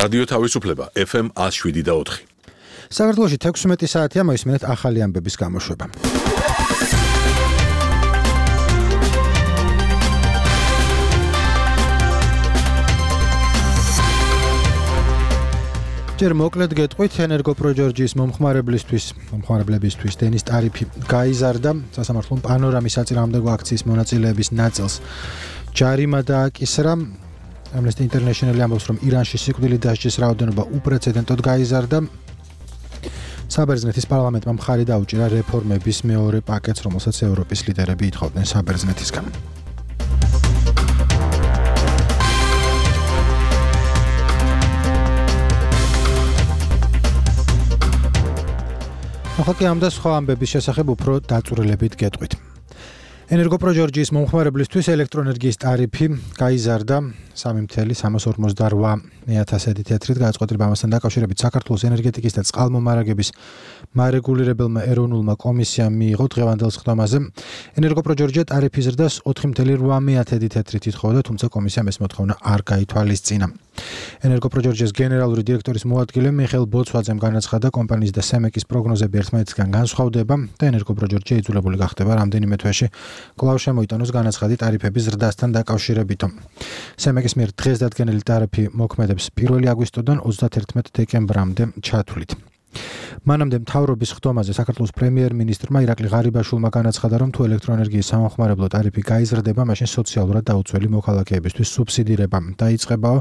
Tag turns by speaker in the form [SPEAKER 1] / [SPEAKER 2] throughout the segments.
[SPEAKER 1] რადიო თავისუფლება FM 107.4.
[SPEAKER 2] საქართველოში 16 საათია მოისმინეთ ახალი ამბების გამოშვება. ჯერ მოკლედ გეტყვით, ენერგოპროჯორჯის მომხმარებლებისთვის დენის ტარიფი გაიზარდა, სასამართლომ პანორამის საწინააღმდეგო აქციის მონაწილეების ნაწილს ჯარიმა დააკისრა. Amnesty International ამბობს, რომ ირანში სიკვდილით დასჯის რაოდენობა უპრეცედენტოდ გაიზარდა. საბერძნეთის პარლამენტმა მხარი დაუჭირა რეფორმების მეორე პაკეტს, რომელსაც ევროპის ლიდერები ითხოვდნენ საბერძნეთისგან. ახლა ამ და სხვა ამბების შესახებ უფრო დაწვრილებით გეტყვით. ენერგოპროჯორჯის მომხმარებლისთვის ელექტროენერგიის ტარიფი გაიზარდა 3.348 თეთრით გადაწყვეტილება ამასთან დაკავშირებით საქართველოს ენერგეტიკის და წყალმომარაგების მარეგულირებელმა ეროვნულმა კომისიამ მიიღო დღევანდელ სხდომაზე. ენერგოპროჯორჯია ტარიფის ზრდას 4.8 თეთრით ითხოვდა, თუმცა კომისიამ ეს მოთხოვნა არ გაითვალისწინა. ენერგოპროჯორჯის გენერალური დირექტორის მოადგილე მიხეილ ბოცვაძემ განაცხადა, კომპანიის და სემეკის პროგნოზები ერთმანეთისგან განსხვავდება და ენერგოპროჯორჯია იძულებული გახდება რამდენიმე თვეში კვლავ შემოიტანოს განაცხადი ტარიფების ზრდასთან დაკავშირებით. სემეკის მიერ დღეს დადგენილი ტარიფი მოქმედებს 1 აგვისტოდან 31 დეკემბრამდე ჩათვლით. მანამდე მთავრობის სხდომაზე საქართველოს პრემიერ-მინისტრმა ირაკლი ღარიბაშვილმა განაცხადა, რომ თუ ელექტროენერგიის სამომხმარებლო ტარიფი გაიზრდება, მაშინ სოციალურად დაუცველი მოქალაქეებისთვის სუბსიდირება დაიწყებაო.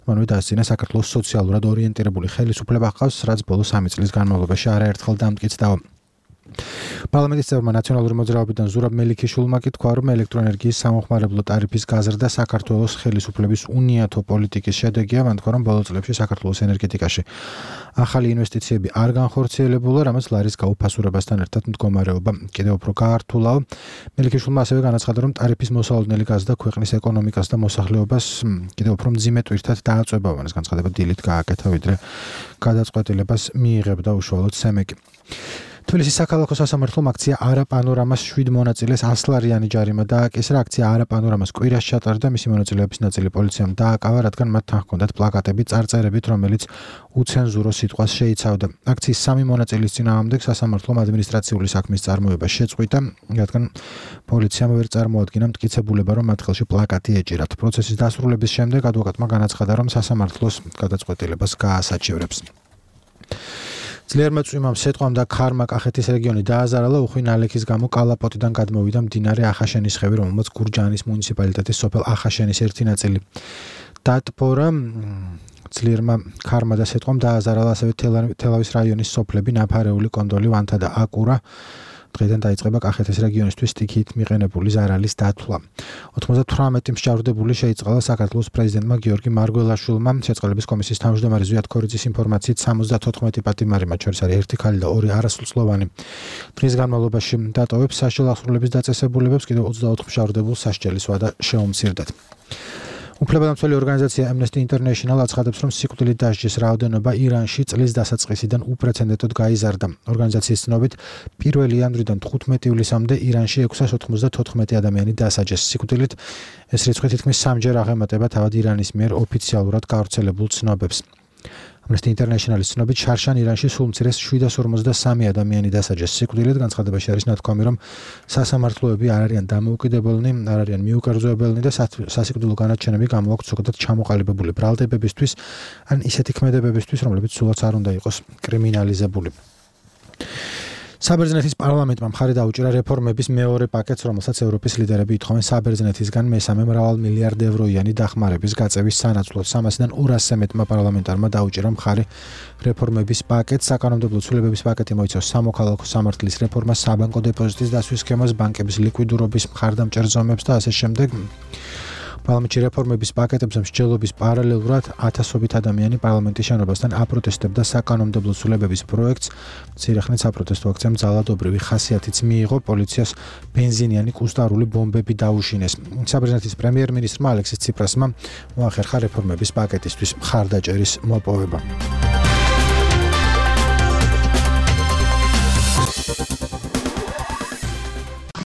[SPEAKER 2] მანვე დაასწინა საქართველოს სოციალურად ორიენტირებული ხელისუფლება ჰყავს, რაც ბოლო 3 წლის განმავლობაში არაერთხელ დამტკიცდაო. პარლამენტის წევრმა ნაციონალური მოძრაობიდან ზურაბ მელიქიშვილმა კი თქვა, რომ ელექტროენერგიის სამომხმარებლო ტარიფის გაზრდა საქართველოს ხელისუფლების უნიათო პოლიტიკის შედეგია. მან თქვა, რომ ბოლო წლებში საქართველოს ენერგეტიკაში ახალი ინვესტიციები არ განხორციელებულა, რამაც ლარის გაუფასურებასთან ერთად მდგომარეობა კიდევ უფრო გაართულაო. მელიქიშვილმა ასევე განაცხადა, რომ ტარიფის მოსალოდნელი გაზრდა ქვეყნის ეკონომიკას და მოსახლეობას კიდევ უფრო მძიმე ტვირთად დააწვება. ეს განცხადება დილით გააკეთა, ვიდრე გადაწყვეტილებას მიიღებდა უშუალოდ სემეკი. თბილისის საქალაქო სასამართლომ აქცია არა პანორამას 7 მონაწილეს 100 ლარიანი ჯარიმა დააკისრა. აქცია არა პანორამას კვირას ჩატარდა, მისი მონაწილეების ნაწილი პოლიციამ დააკავა, რადგან მათ თან ჰქონდათ პლაკატები წარწერებით, რომელიც უცენზურო სიტყვას შეიცავდა. აქციის 3 მონაწილის წინააღმდეგ სასამართლომ ადმინისტრაციული საქმის წარმოება შეწყვიტა, რადგან პოლიციამ ვერ წარმოადგინა მტკიცებულება, რომ მათ ხელში პლაკატი ეჭირათ. პროცესის დასრულების შემდეგ ადვოკატმა განაცხადა, რომ სასამართლოს გადაწყვეტილებას გაასაჩივრებს. ძლიერმა წვიმამ სეტყვამ და ქარმა კახეთის რეგიონი დააზარალა, უხვი ნალექის გამო კალაპოტიდან გადმოვიდა მდინარე ახაშენის ხევი, რომელმაც გურჯაანის მუნიციპალიტეტის სოფელ ახაშენის ერთი ნაწილი დატბორა. ძლიერმა ქარმა და სეტყვამ დააზარალა ასევე თელავის რაიონის სოფლები ნაფარეული, კონდოლი, ვანთა და აკურა. დღეიდან დაიწყება კახეთის რეგიონისთვის სტიქიით მიყენებული ზარალის დათვლა. 98 მსჯავრდებული შეიწყალა საქართველოს პრეზიდენტმა გიორგი მარგველაშვილმა. შეწყალების კომისიის თავმჯდომარე ზვიად ქორიძის ინფორმაციით 74 პატიმარი, მათ შორის არის 1 ქალი და 2 არასრულწლოვანი. დღის განმავლობაში დატოვებს საშუალო აღსრულების დაწესებულებებს, კიდევ 24 მსჯავრდებულს სასჯელის ვადა შეუმცირდათ. უფლებადამცველი ორგანიზაცია Amnesty International აცხადებს, რომ სიკვდილით დასჯის რაოდენობა ირანში წლის დასაწყისიდან უპრეცედენტოდ გაიზარდა. ორგანიზაციის ცნობით, 1 იანვრიდან 15 ივლისამდე ირანში 694 ადამიანი დასაჯეს სიკვდილით. ეს რიცხვი თითქმის 3-ჯერ აღემატება თავად ირანის მიერ ოფიციალურად გავრცელებულ ცნობებს. Amnesty International-ის ცნობით, შარშან ირანში სულ მცირეს 753 ადამიანი დასაჯეს სიკვდილით. განცხადებაში არის ნათქვამი, რომ სასამართლოები არ არიან დამოუკიდებლნი, არ არიან მიუკერძოებელნი და სასიკვდილო განაჩენები გამოაქვთ ზოგადად ჩამოყალიბებული ბრალდებებისთვის ან ისეთი ქმედებებისთვის, რომლებიც სულაც არ უნდა იყოს კრიმინალიზებული. საბერძნეთის პარლამენტმა მხარი დაუჭირა რეფორმების მეორე პაკეტს, რომელსაც ევროპის ლიდერები ითხოვენ საბერძნეთისგან მესამე მრავალ მილიარდ ევროიანი დახმარების გაწევის სანაცვლოდ. 300-დან 200-ზე მეტმა პარლამენტარმა დაუჭირა მხარი რეფორმების პაკეტს. საკანონმდებლო ცვლილებების პაკეტი მოიცავს სამოქალაქო სამართლის რეფორმას, საბანკო დეპოზიტის დასვის სქემას, ბანკების ლიკვიდურობის მხარდამჭერ ზომებს და ასე შემდეგ. პარლამენტში რეფორმების პაკეტებზე მსჯელობის პარალელურად ათასობით ადამიანი პარლამენტის შენობასთან აპროტესტებდა საკანონმდებლო ცვლილებების პროექტს. მცირე ხნით საპროტესტო აქციამ ძალადობრივი ხასიათიც მიიღო, პოლიციას ბენზინიანი კუსტარული ბომბები დაუშინეს. საბერძნეთის პრემიერ-მინისტრმა ალექსის ციპრასმა მოახერხა რეფორმების პაკეტისთვის მხარდაჭერის მოპოვება.